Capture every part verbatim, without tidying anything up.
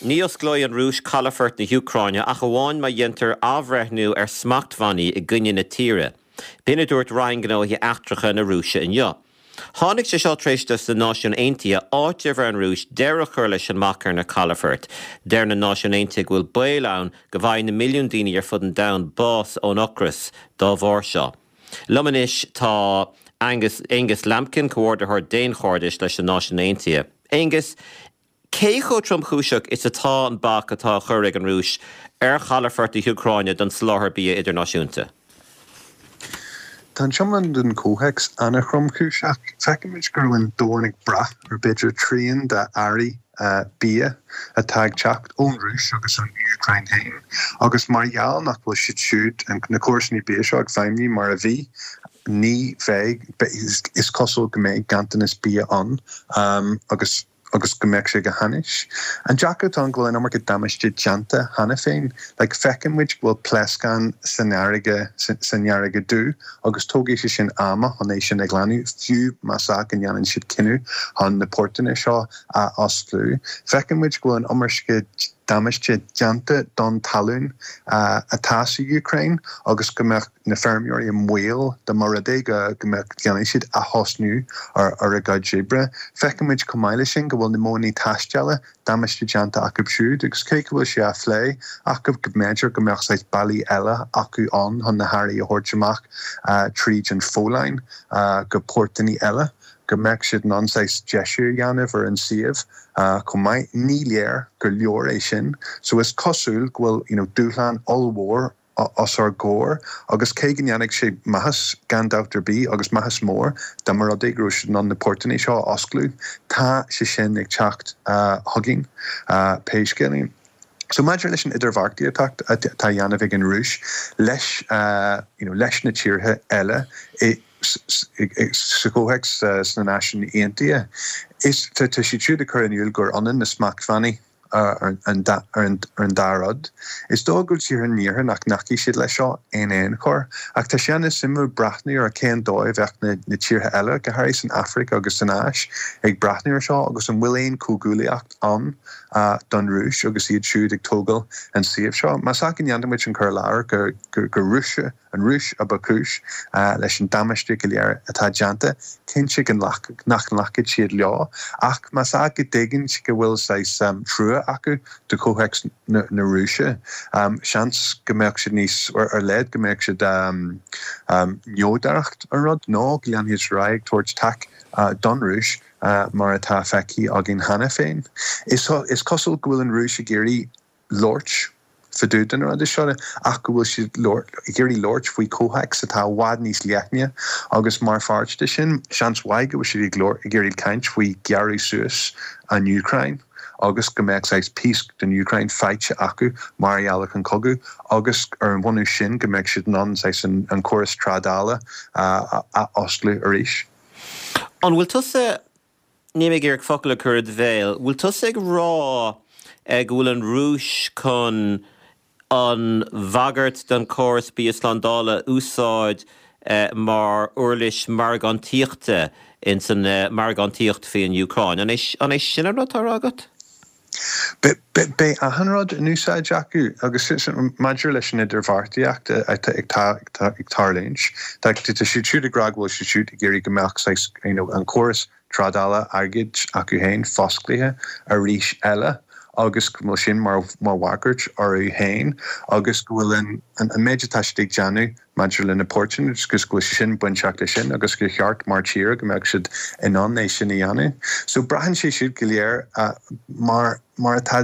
Ní osclóidh an Rúis calafort na hÚcráine ach amháin má dhéantar athbhreithniú ar smachtbhannaí i gcoinne na tíre. B'in a dúirt Roinn Gnóthaí Eachtracha na Rúise inniu. Tháinig sé seo tar éis do na Náisiúin Aontaithe áiteamh ar an Rúis deireadh a chur leis an mbac ar na calafoirt. Deir na Náisiúin Aontaithe go bhfuil baol ann go bhfaighidh na milliúin daoine ar fud an domhain bás ón ocras dá bharr seo. Liom anois tá Angus, Angus Lambkin, comhordaitheoir daonchairdis leis na Náisiúin Aontaithe. Angus, cé chomh tromchúiseach is atá an bac atá á chur ag an Rúis ar chalafort na hÚcráine don soláthar bia idirnáisiúnta? Tá an iomlán den chomhthéacs an-thromchúiseach. Feicimid go bhfuil an domhan ag brath ar b'fhéidir trian de earraí bia atá ag teacht ón Rúis agus ón Úcráin féin. Agus mar gheall nach bhfuil siad siúd na córais bia seo ag feidhmiú mar a bhí, ní bheidh is cosúil go mbeidh ganntanas bia ann agus agus go mbeidh sé go hainnis. An deacracht atá go bhfuil an iomarca damáiste déanta cheana féin, like feiceann muid go bhfuil pléascán san fharraige san fharraige dubh agus tógfaidh sé sin ama chun é sin a ghlanadh, fiú más ea go ndéanann siad cinneadh chun na portanna seo a osclú. Feiceann muid go bhfuil an iomarca damáiste déanta don talún uh, atá sa Úcráin agus go mbeadh na feirmeoirí i mbaol dá mba rud é go go mbeadh déanfaidh siad athosnú ar ar a gcuid oibre. Feiceann muid chomh maith leis sin go bhfuil na modhanna taisteala damáiste déanta acu siúd agus cé go bhfuil sé á phlé acu go mb'fhéidir go mbeadh saghas bealaí eile acu ann chun na hearraí a thabhairt amach uh, tríd an Pholainn uh, go portanna eile. go mbeadh siad in ann saghas deisiú a dhéanamh ar an suíomh uh, chomh maith ní léir gur leor é sin, so is cosúil go bhfuil you know, dúshlán ollmhór os ár gcomhair agus cé go ndéanfaidh sé maitheas gan dabht ar bith agus maitheas mór dá mba rud é go raibh siad in ann na portanna seo a osclú, tá sé sin ag teacht uh, chugainn uh, pé scéal é. So maidir leis an idirbheartaíocht atá á dhéanamh ag an Rúis leis uh, you know, leis na tíortha eile i sa chomhthéacs sna Náisiúin Aontaithe. Is tá siad siúd ag cur in iúl gur ionann na smachtbhannaí ar an dá rud. Is dóigh go tíortha an iarthair nach nglacfaidh siad leis seo in aon chor, ach tá sé an-suimiúil breathnú ar cén dóigh a bheadh na, na tíortha eile go háirithe san Afraic agus san Áis ag breathnú ar seo agus an bhfuil aon chomhghuaillíocht ann uh, don Rúis agus iad siúd ag tógáil an suíomh seo. Más ea go ndéanfaimid an cur i láthair go, go, go Rúise an Rúis a ba chúis uh, leis an damáiste go léir atá déanta, cinnte go nach nglacfaidh siad leo, ach más ea go dtuigeann go bhfuil saghas um, trua acu do chomhthéacs na, na Rúise. Um, seans go mbeadh siad níos ar, ar leid go mbeadh siad um, um, neodracht an rud nó go leanfaidh siad ar aghaidh ag tabhairt taca uh, don Rúis uh, mar atá feicthe againn cheana féin. Is, is cosúil go bhfuil an Rúis ag iarraidh labhairt fá dtaobh den rud seo ach go bhfuil siad ag iarraidh labhairt faoi chomhthéacs atá i bhfad níos leithne agus mar pháirt de sin seans mhaith go bhfuil siad ag ag iarraidh caint faoi ghearradh suas an Úcráin agus go mbeadh saghas píosa den Úcráin faighte acu mar gheall ar an cogadh agus ar an bhunús sin go mbeadh siad in ann saghas an, an córas trádála uh, a osclú arís. An bhfuil tusa ní ag iarraidh focail a chur i do bhéal, bhfuil tusa ag rá go bhfuil an Rúis chun an bhagairt don chóras bia slándála a úsáid eh, mar uirlis margáíochta in san eh, margáíocht faoin Úcráin. An é sin an rud atá agat? Beidh achan rud in úsáid acu agus maidir leis an idirbheartaíocht ag tarlúint. Tá siad siúd ag rá go bhfuil siad siúd ag iarraidh go mbeadh an córas trádála airgid acu féin fosclaithe arís eile. agus go bhfuil sin mar mar bhagairt orthu féin agus go bhfuil an an méid atá siad ag déanamh maidir le na portanna agus go bhfuil sin bainteach leis sin agus gur cheart mar tír go mbeadh siad in ann é sin a dhéanamh. So braitheann sé siúd go léir uh, mar mar atá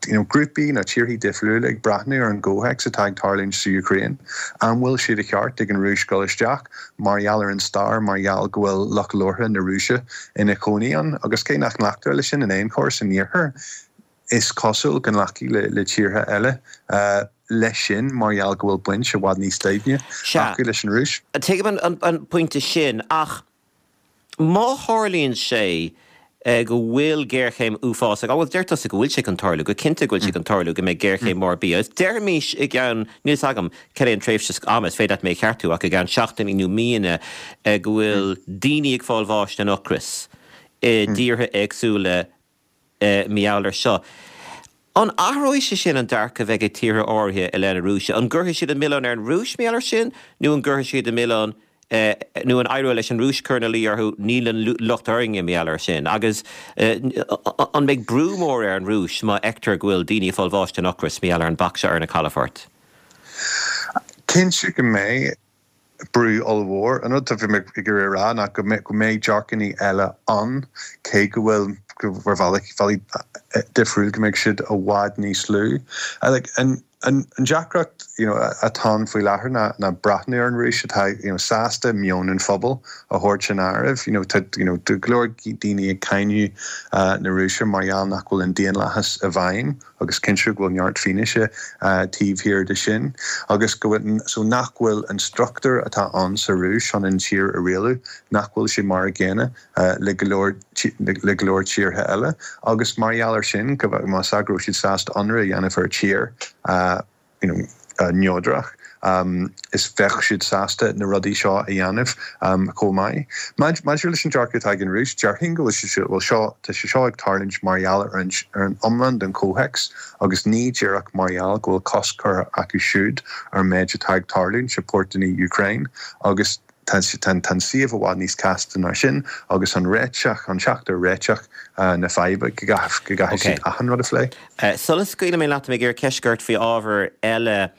you know, grúpaí na tíortha difriúla ag breathnú ar an gcomhthéacs atá ag tarlúint sa Úcráin. An bhfuil sé de cheart ag an Rúis dul isteach mar gheall ar an stair mar gheall go bhfuil lucht labhartha na Rúise ina gcónaí ann agus cé nach nglactar leis sin in aon chor san iarthar. Is cosúil go nglacfaidh le, le tíortha eile uh, leis sin mar gheall go bhfuil baint i bhfad níos doimhne acu leis an Rúis. Tuigim an, an, an pointe sin ach má tharlaíonn sé eh, go bhfuil géarchéim uafásach, bhfuil deir tusa go bhfuil sé chun tarlú, go cinnte go bhfuil sé chun tarlú go mbeidh géarchéim mór bia. Deirimis i gceann níl a fhios agam cén tréimhse ama is féidir mé a cheartú ach i gceann seachtainí nó míonna eh, go bhfuil daoine ag fáil bháis den ocras i dtíortha éagsúla eh, mar gheall air seo. An athróidh sé sin an dearcadh a bheidh ag tíortha áirithe i leith na Rúise? An gcuirfidh siad an milleán ar an Rúis mar gheall air sin nó an gcuirfidh siad an milleán nó an éireoidh leis an Rúis cur ina luí orthu níl an locht orainne mar gheall air sin? Agus an mbeidh brú mór ar an Rúis má fheictear go bhfuil daoine ag fáil bháis den ocras mar gheall ar an bac seo ar na calafoirt? Cinnte go mbeidh brú ollmhór. An rud a bhí mé ag iarraidh a rá ná go mbeidh dearcannaí eile ann, cé go bhfuil ar bhealaí difriúil go mbeidh siad i bhfad níos lú. Like, an, an, an deacracht you know, atá ann faoi láthair ná, ná breathnú ar an Rúis atá you know, sásta meon an phobail a thabhairt san áireamh. You know, tá you know, go leor daoine ag cáineadh uh, na Rúise mar gheall nach bhfuil an daonlathas i bhfeidhm agus cinnte go bhfuil neart fianaise taobh thiar de sin, agus go bhfuil so nach bhfuil an struchtúr atá ann sa Rúis chun an tír a rialú, nach bhfuil sé mar a gcéanna le go leor le go leor tíortha eile, agus mar gheall air sin go más ea go raibh siad sásta ionradh a dhéanamh ar tír you know, neodrach. Um, is bheadh siad sásta na rudaí seo a dhéanamh um, chomh maith. Maidir leis an dearcadh atá ag an Rúis, déarfainn go bhfuil bhfuil seo tá sé seo ag tarlúint mar gheall ar an ar an iomlán den chomhthéacs agus ní díreach mar gheall go bhfuil cosc curtha acu siúd ar méid atá ag tarlúint i bpórtanna Ukraine agus tá an suíomh i bhfad níos casta ná sin agus an réiteach an teacht ar réiteach na faidhbe go gcaithfidh siad achan rud a phlé. Sula scaoilfidh mé leat mé ag iarraidh ceist ort faoi ábhar eile.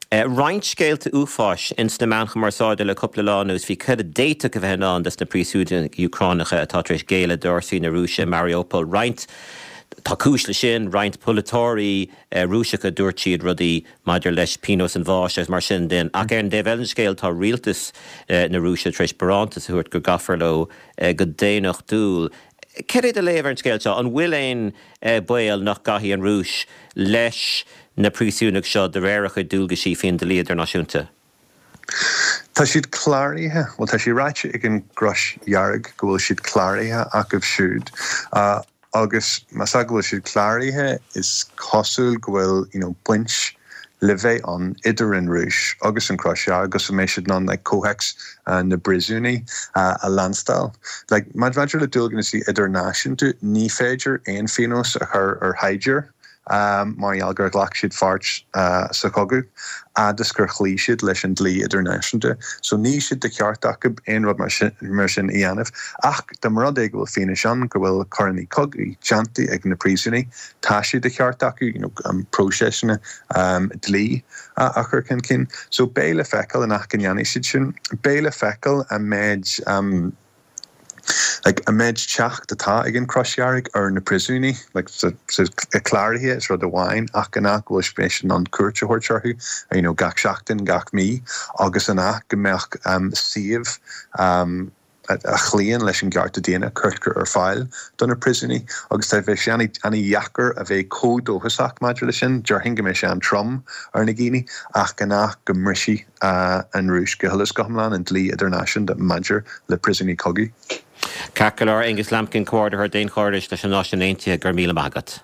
Roinnt scéalta uafáis ins na meáin chumarsáide le cúpla lá anuas faoi cad a d'fhéadfadh a bheith i ndán dos na príosúnaigh Úcránacha atá tar éis géilleadh d'fhórsaí na Rúise i Mariupol. Roinnt tá cúis leis sin, roinnt polaiteoirí Rúiseacha dúirt siad rudaí maidir leis pionós an bháis agus mar sin de. Ach ar an dtaobh eile den scéal tá rialtas na Rúise tar éis barántas a thabhairt go gcaithfear leo go daonnachtúil. Cad é do léamh ar an scéal seo? An bhfuil aon baol nach gcaithfidh an Rúis leis na príosúnaigh seo de réir a chuid dualgaisí faoin dlí idirnáisiúnta? Tá siad cláraithe, bhuel tá sé ráite ag an gCrois Dhearg go bhfuil siad cláraithe acu siúd. Uh, agus más ea go bhfuil siad cláraithe is cosúil go bhfuil you know, baint le bheith ann idir an Rúis agus an Chrois Dhearg agus mbeidh siad in ann like, comhthéacs uh, na bpríosúnaigh uh, a leanstáil. Like, maidir le dualgas idirnáisiúnta ní féidir aon phionós a chur ar shaighdiúir um, mar gheall gur ghlac siad pháirt uh, sa chogadh agus gur chloígh siad leis an dlí idirnáisiúnta. So níl sé de cheart acu aon rud mar sin, mar sin a dhéanamh. Ach dá mba rud é go bhfuil fianaise ann go bhfuil coireanna cogaidh déanta ag na príosúnaigh, tá sé de cheart acu you know, um, próisesanna um, dlí a, a chur chun cinn. So beidh le feiceáil an ach go ndéanfaidh siad sin, beidh le feiceáil an méid um, like, an méid teacht atá ag an Chrois Dhearg ar na príosúnaigh like, so, so, cláraithe is rud amháin ach an ea go bhfuil siad in ann cuairt a thabhairt orthu you know, gach seachtain gach mí agus an ea go mbeadh um, suíomh um, a chloíonn leis an gcearta daonna curtha ar fáil do na príosúnaigh agus tá bheith sé an-deacair a bheith chomh dóchasach maidir leis sin, déarfainn go mbeidh sé an-trom ar na daoine ach gan ach go mbrisfidh uh, an Rúis go huile is go hiomlán an dlí idirnáisiúnta maidir le príosúnaigh cogaidh. Ceart go leor Aonghus Lambkin, Comhordaitheoir Daonchairdis leis na Náisiúin Aontaithe go raibh míle maith agat.